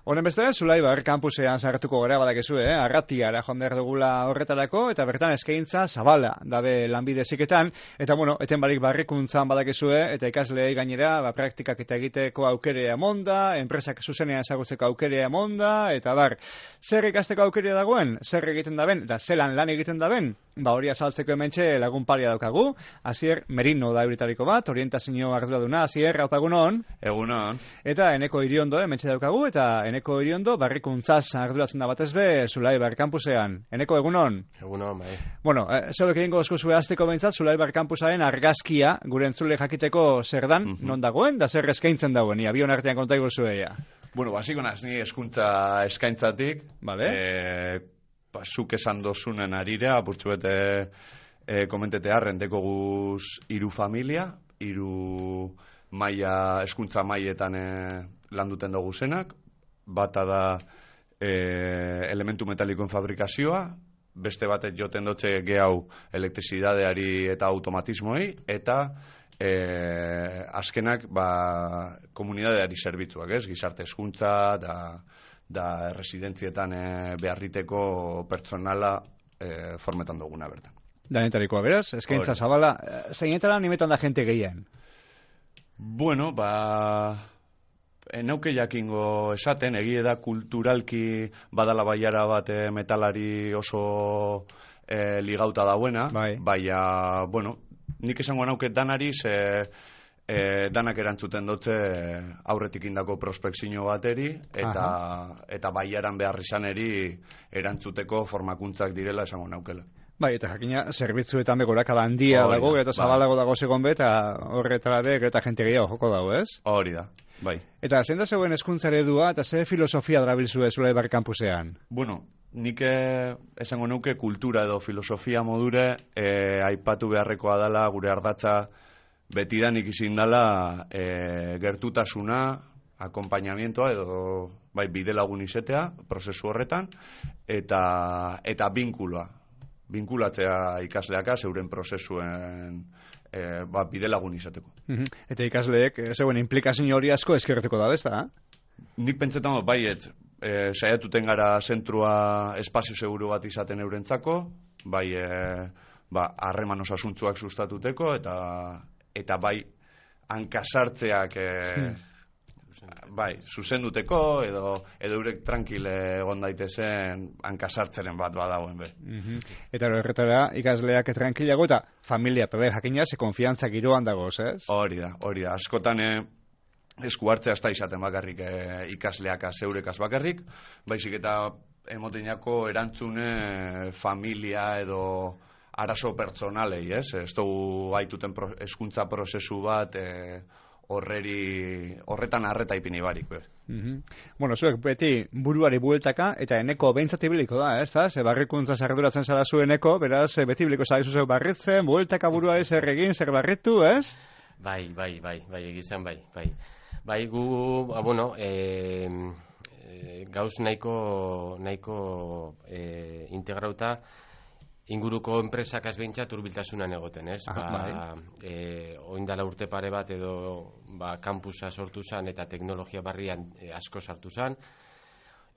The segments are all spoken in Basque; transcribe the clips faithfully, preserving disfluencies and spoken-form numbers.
Honen beste, Zulaibar kampusean sartuko gara badakizu, eh? Arratiara joan behar dugula horretarako, eta bertan eskaintza zabala dabe lanbide heziketan, eta bueno, eten barik barrikuntzan badakizu, eta ikasleei gainera, ba, praktikak eta egiteko aukerea emonda, enpresak zuzenean ezagutzeko aukerea emonda, eta bar, zer ikasteko aukerea dagoen, zer egiten daben, eta zelan lan egiten daben, ba hori azaltzeko hementxe lagun paria daukagu, Asier Merino da euritariko bat, orientazio arduraduna, Asier, haupa egunon. Egunon. Eta Eneko Iriondo hementxe daukagu, eta Eneko Iriondo barrikuntzaz arduratzen da batez be Zulaibar kampusean. Eneko, egunon? Egunon, bai. Bueno, eh, zeudek egingo eskuzue azteko behintzat Zulaibar kampusaren argazkia gure entzule jakiteko zer dan, uh -huh. non dagoen, da zer eskaintzen dagoen, abion artean konta iguzueia. Bueno, basiko naz, ni eskuntza eskaintzatik, vale. eh, ba, zuk esan dozunen arira, apurtzuete eh, komentetea, rendeko guz iru familia, iru maia, eskuntza maietan eh, landuten dugu zenak, bata da e, elementu metalikoen fabrikazioa, beste batek joten dotze gehau elektrizidadeari eta automatismoei, eta e, azkenak ba, komunidadeari zerbitzuak, ez? Gizarte hezkuntza da, da residentzietan e, beharriteko pertsonala e, formetan duguna bertan. Danetarikoa, beraz? Eskaintza zabala, zeinetara nimetan da jente gehien? Bueno, ba... Enauke jakingo esaten, egie da kulturalki badala baiara bat e, metalari oso e, ligauta dauena, bai. Baina, bueno, nik esango nauke danari, ze e, danak erantzuten dutze aurretik indako prospekzio bateri, eta, eta baiaran behar izaneri erantzuteko formakuntzak direla esango naukela. Bai, eta jakina, zerbitzuetan begorakala handia oh, dago, eta zabalago dago segon be, eta horretara be, eta jente gehiago joko dago, ez? Hori da, bai. Eta zein da zegoen hezkuntza eredua, eta ze filosofia darabilzue Zulaibar kampusean? Bueno, nik esango nuke kultura edo filosofia modure e, aipatu beharrekoa dela gure ardatza betidanik izin dela e, gertutasuna, akompainamientoa edo bai, bide lagun izetea, prozesu horretan, eta, eta binkuloa. Binkulatzea ikasleaka zeuren prozesuen e, ba, bide lagun izateko. Uh-huh. Eta ikasleek, zeuen implikazio hori asko eskertuko da, bezta? Nik pentsetan dut, baiet, e, saiatuten gara zentrua espazio seguru bat izaten eurentzako, bai, e, ba, harreman osasuntzuak sustatuteko, eta, eta bai, hankasartzeak... E, hmm. Bai, zuzenduteko edo edo eurek tranquile egon daitezen hankasartzeren bat badagoen be. Uh-huh. Eta horretara ikasleak tranquilago eta familia peber jakina ze konfiantza giroan dagoz, ez? Hori da, hori da. Askotan eh, esku hartzea ez da izaten bakarrik eh, ikasleaka zeurekaz bakarrik, baizik eta emotinako erantzune familia edo arazo pertsonalei, ez? Ez dugu haituten pro, eskuntza prozesu bat... Eh, horreri, horretan arreta ipini barik. Uh-huh. Bueno, zuek beti buruari bueltaka, eta Eneko behintzat ibiliko da, ez da? Ze barrikuntza zarduratzen zara zu Eneko, beraz, beti ibiliko zaizu zeu barritzen, bueltaka buruari zer egin, zer barritu, ez? Bai, bai, bai, bai, egizan, bai, bai. Bai, gu, ah, bueno, eh, eh, gauz nahiko, nahiko eh, integrauta, inguruko enpresak azbeintzat urbiltasunan egoten, ez? Aha, ba, bai. e, oindala urte pare bat edo ba, kampusa sortu zan eta teknologia barrian e, asko sartu zan.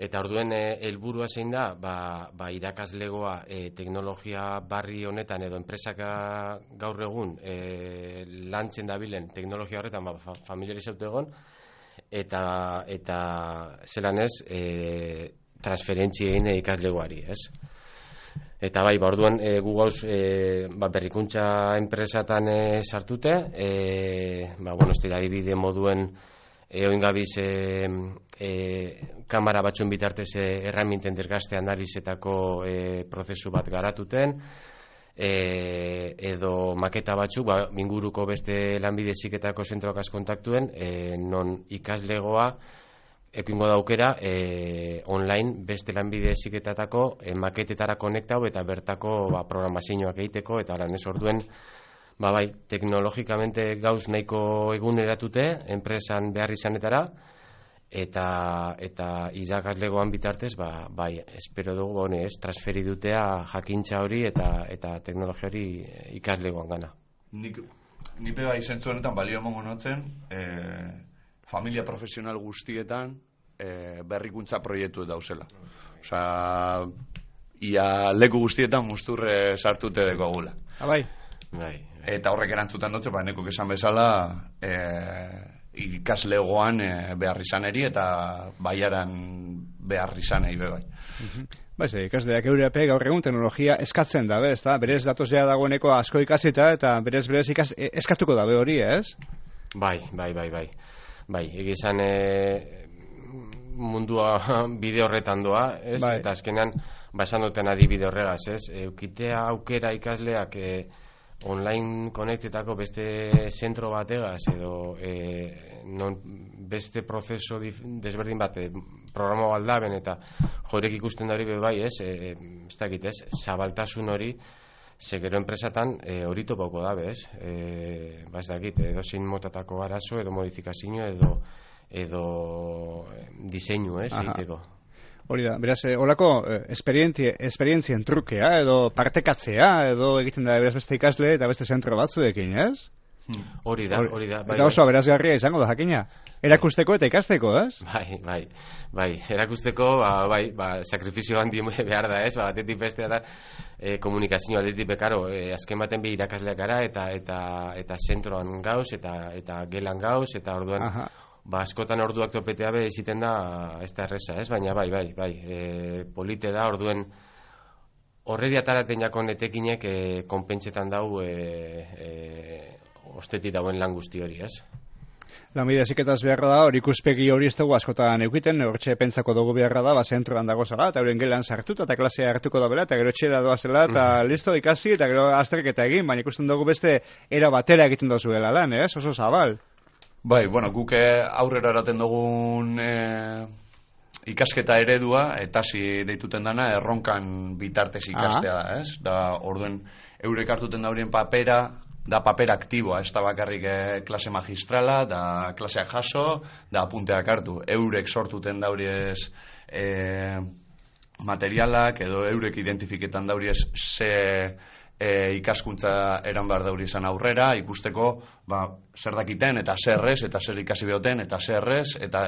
Eta orduen helburua e, zein da, ba, ba, irakaslegoa e, teknologia barri honetan edo enpresak gaur egun e, lantzen dabilen teknologia horretan ba, fa, familiarizatu egon, eta, eta zelan ez, e, transferentzien ikaslegoari, ez? Eta bai, ba, orduan e, gu gauz e, ba, berrikuntza enpresatan e, sartute, e, ba, bueno, ez dira adibide moduen e, oingabiz e, e, kamera batzuen bitartez e, erraminten dergazte analizetako e, prozesu bat garatuten, e, edo maketa batzuk, ba, inguruko beste lanbide heziketako zentroak kontaktuen, e, non ikaslegoa ekingo daukera e, online beste lanbide heziketatako e, maketetara konektau eta bertako ba, programazioak egiteko, eta lan ez orduen ba, bai, teknologikamente gauz nahiko eguneratute enpresan behar izanetara, eta eta irakaslegoan bitartez ba, bai, espero dugu ba, ez, transferi dutea jakintza hori eta eta teknologia hori ikaslegoan gana. Nik, nipe bai zentzu honetan balio emongo notzen, e, familia profesional guztietan e, berrikuntza proiektu dauzela. Osea, ia leku guztietan musturre sartute deko gula. Abai. Bai. Eta horrek erantzutan dutze, ba, nekuk esan bezala, e, ikaslegoan e, behar izaneri eta baiaran behar izanei bebai. Ba, ez, ikasleak Europe gaur egun teknologia eskatzen dabe, ez da? Berez datoz ja dagoeneko asko ikasita eta berez berez ikas, eskatuko dabe hori, ez? Bai, bai, bai, bai. Bai, egizan e, mundua bide horretan doa, ez? Bai. Eta azkenean, ba, esan duten adibide horregaz, ez? Eukitea aukera ikasleak e, online konektetako beste zentro bategaz edo e, non beste prozeso dif, desberdin bat e, programa baldaben eta jorek ikusten da hori bai, ez? E, ez dakit, ez? Zabaltasun hori ze gero enpresatan e, hori topauko dabe, ez? E, ba ez dakit, edo zein motatako arazo edo modifikazio edo edo diseinu, ez? Egiteko. Hori da, beraz, eh, olako eh, esperientzien trukea, edo partekatzea, edo egiten da beraz beste ikasle eta beste zentro batzuekin, ez? Hori da, hori da. Bai, eta oso aberazgarria izango da, jakina. Erakusteko eta ikasteko, ez? Bai, bai, bai. Erakusteko, ba, bai, ba, sakrifizio handi behar da, ez? Ba, batetik bestea da, e, komunikazio aldetik bekaro, e, azken baten bi irakasleak gara, eta eta eta zentroan gauz, eta eta gelan gauz, eta orduan, Aha. Ba, askotan orduak topetea be iziten da ez da erresa, ez? Baina bai, bai, bai, e, polite da, orduen horredi ataraten jakon etekinek e, konpentsetan dau e, e, osteti dauen lan guzti hori, ez? Lanbide heziketaz beharra da, hori ikuspegi hori ez dugu askotan eukiten, hortxe pentsako dugu beharra da, ba, zentroan dago zara, eta horien gelan sartuta, eta klasea hartuko da bela, eta gero txera doazela, eta mm. listo ikasi, eta gero azterketa egin, baina ikusten dugu beste era batera egiten dozuela lan, ez? Oso zabal. Bai, bueno, guk aurrera eraten dugun e, ikasketa eredua, eta zi deituten dana, erronkan bitartez ikastea da, ez? Da, orduen, eurek hartuten daurien papera, da paper aktiboa, ez da bakarrik e, klase magistrala, da klaseak jaso, da apunteak hartu. Eurek sortuten dauriez e, materialak, edo eurek identifiketan dauriez ze... E, ikaskuntza eran behar dauri izan aurrera, ikusteko ba, zer dakiten, eta zer ez, eta zer ikasi behoten, eta zer ez, eta,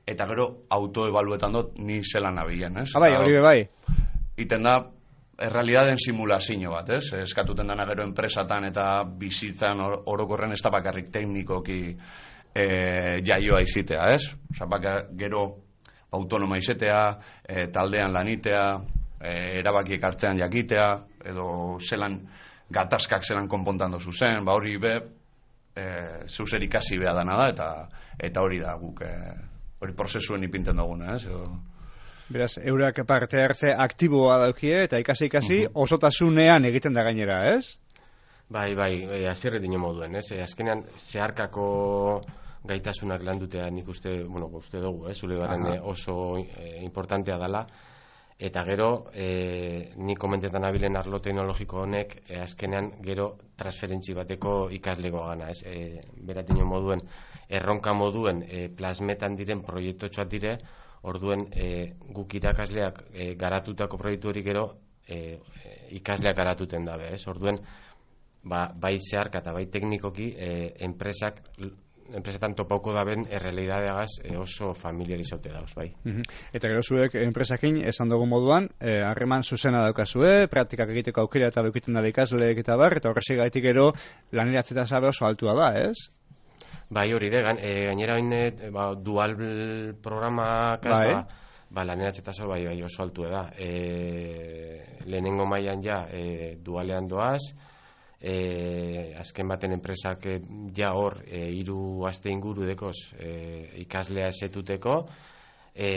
eta gero autoebaluetan dut ni zelan nabilen, ez? Abai, hori be bai. Iten da, errealidadeen simulazio bat, ez? Eskatuten dana gero enpresatan eta bizitzan or, orokorren ez da bakarrik teknikoki e, jaioa izitea, ez? Osa, bakar, gero autonoma izetea, e, taldean lanitea, e, erabakiek hartzean jakitea, edo zelan gatazkak zelan konpontan dozu zen, ba hori be e, zeuser ikasi beha dana da, eta eta hori da guk e, hori prozesuen ipinten duguna, ez? Edo... Beraz, eurak parte hartze aktiboa daukie, eta ikasi-ikasi uh-huh. osotasunean egiten da gainera, ez? Bai, bai, e, azirre dino moduen, ez? E, azkenean, zeharkako gaitasunak landutea nik uste, bueno, uste dugu, ez? Zule garen uh-huh. oso e, importantea dela. Eta gero, e, ni komentetan abilen arlo teknologiko honek, e, azkenean gero transferentzi bateko ikaslego gana, ez? E, beratino moduen, erronka moduen e, plasmetan diren proiektotxoat dire, orduen e, guk irakasleak e, garatutako proiektu hori gero e, ikasleak garatuten dabe, ez? Orduen, ba, bai zeharka eta bai teknikoki e, enpresak enpresetan topauko daben errealidadeagaz e, oso familiarizaute dauz, bai. Uh-huh. Eta gero zuek enpresakin esan dugu moduan, harreman eh, zuzena daukazue, praktikak egiteko aukera eta daukiten da ikasleek eta bar, eta horrexi gaitik gero laneratzeta zabe oso altua da, ez? Bai, hori de, gan, e, gainera hain ba, dual programak bai. ba, ba, laneratzeta zabe bai, bai oso altua da. E, lehenengo mailan ja e, dualean doaz, E, azken baten enpresak e, ja hor e, hiru aste inguru dekoz e, ikaslea esetuteko e,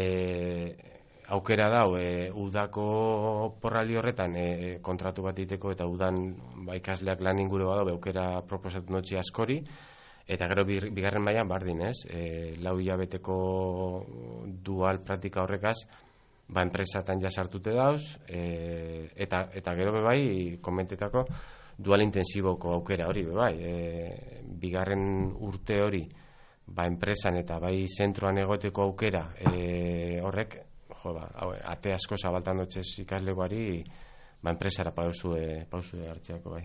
aukera dau e, udako porraldi horretan e, kontratu bat diteko eta udan ba, ikasleak lan inguru badau aukera proposatu notzi askori eta gero bigarren mailan bardin, ez? E, lau hilabeteko dual praktika horrekaz ba, enpresatan ja sartute dauz e, eta, eta gero bebai komentetako dual intensiboko aukera hori, bai, e, bigarren urte hori, ba, enpresan eta bai zentroan egoteko aukera, e, horrek, jo, ba, ate asko zabaltan dutxez ikaslegoari, ba, enpresara pausue, pausue hartzeako, bai.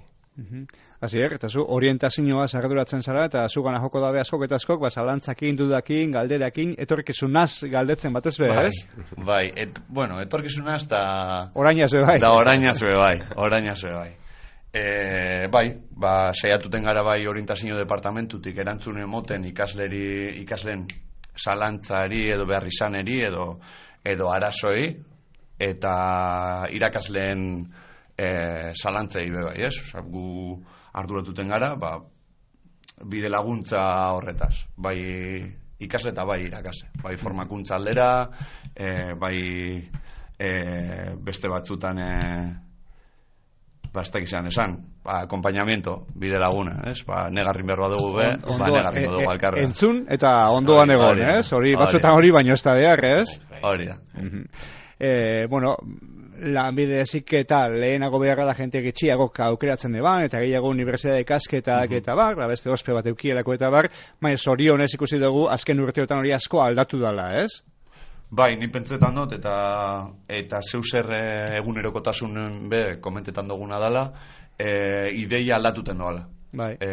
Hasier, eta zu orientazioa arduratzen zara, eta zugana joko dabe askok eta askok, ba, zalantzakin, dudakin, galderakin, etorkizunaz galdetzen batez be, bai, ez? Bai, et, bueno, etorkizunaz da... Orainaz be bai. Da orainaz be bai, orainaz be bai. E, bai, ba, saiatuten gara bai orientazio departamentutik erantzun emoten ikasleri, ikasleen zalantzari edo behar izaneri edo, edo arazoi, eta irakasleen e, zalantzei be bai, ez? Osa, gu arduratuten gara, ba, bide laguntza horretaz, bai ikasle eta bai irakasle, bai formakuntza aldera, e, bai e, beste batzutan e, ba, ez dakizan esan, ba, acompañamiento, bide laguna, ez? Ba, negarrin berroa dugu be, on, ba, negarrin dugu alkarra. Entzun eta ondoan egon, ez? Hori, batzuetan hori baino ez da behar, ez? Hori da. Eh, bueno, lanbide heziketa lehenago beharra da jente gitxiago aukeratzen deban, eta gehiago unibertsitate ikasketak eta bar, ba, beste ospe bat eukielako eta bar, baina zorionez ikusi dugu azken urteotan hori asko aldatu dala, ez? Bai, ni pentsetan dut, eta eta zeu zer egunerokotasunen be komentetan duguna dela, e, ideia aldatuten doala. Bai. E,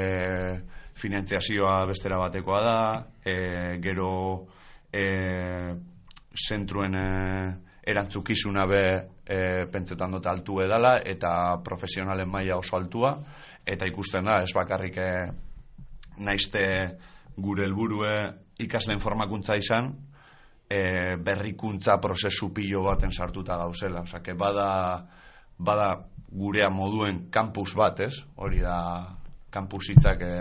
finanziazioa bestera batekoa da, e, gero e, zentruen e, erantzukizuna be e, pentsetan dut altu edala, eta profesionalen maila oso altua, eta ikusten da, ez bakarrik e, naizte gure helburue ikasleen formakuntza izan, E, berrikuntza prozesu pilo baten sartuta gauzela, osea, que bada bada gurea moduen campus bat, ez? Hori da campus hitzak e,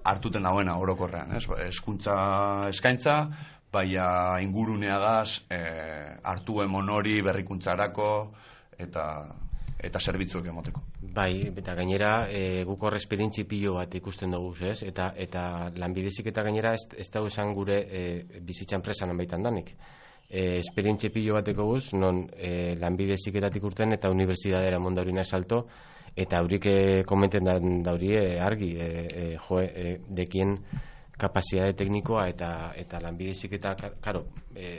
hartuten dauena orokorrean, ez? Hezkuntza eskaintza, baina inguruneagaz e, hartu emon hori berrikuntzarako eta eta zerbitzuek emoteko. Bai, eta gainera e, guk hor esperientzi pilo bat ikusten dugu, ez? Eta eta lanbidezik eta gainera ez, ez dago esan gure e, bizitza enpresan baitan danik. E, esperientzi pilo bateko guz, non e, lanbideziketatik urten eta unibertsitatera mondaurina salto, eta haurik e, komenten da, dauri e, argi, e, e, jo, e, dekien kapazitate teknikoa eta eta lanbideziketa, karo, e,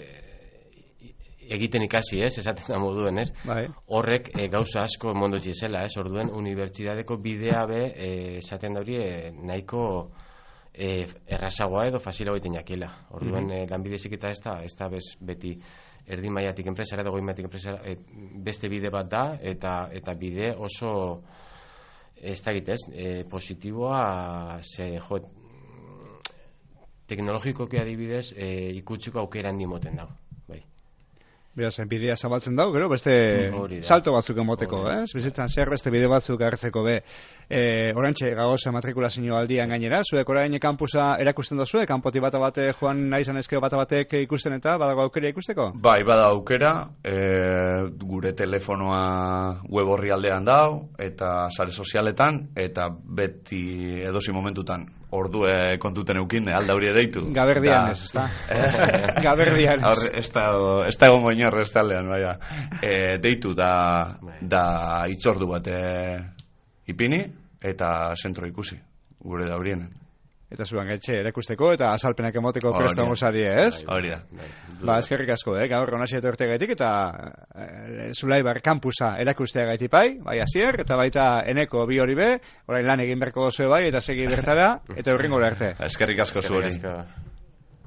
egiten ikasi, ez, esaten da moduen, ez? Bai. Horrek e, gauza asko mondotzi zela, ez? Orduen unibertsitateko bidea be e, esaten da hori e, nahiko e, errazagoa edo fasilago egiten jakiela. Orduen mm-hmm. e, lanbidezik eta ez da, ez da bez, beti erdi mailatik enpresara edo goi mailatik enpresara e, beste bide bat da eta eta bide oso ez da egitez, e, positiboa ze jo teknologikoki adibidez e, ikutziko aukera handi moten dago. Beraz, bidea zabaltzen dago, gero, beste salto batzuk emoteko, ez? Bizitzan zer beste bide batzuk hartzeko be. E, orantxe, gagoza matrikulazio aldian gainera, zuek orain kampusa erakusten dozue, kanpoti bata bate joan nahi izan ezkeo bata batek ikusten eta badago aukera ikusteko? Bai, bada aukera, e, gure telefonoa web horri aldean dau, eta sare sozialetan, eta beti edozi momentutan ordue kontuten eukin, alda hori deitu. Gaberdian ez, ezta? Gaberdian ez. Ez da egon goinor ez talean, baina. E, deitu da, da itzordu bat e, ipini, eta zentro ikusi, gure da horienen. Eta zuan gaitxe erakusteko eta azalpenak emoteko presto gozari, ez? Hori da. Ba, eskerrik asko, eh? Gaur onasi etorte gaitik eta e, Zulaibar kampusa erakustea gaiti bai, bai Asier, eta baita eneko bi hori be, orain lan egin berko gozoe bai, eta segi bertara, eta urringo arte. Eskerrik asko zuhori.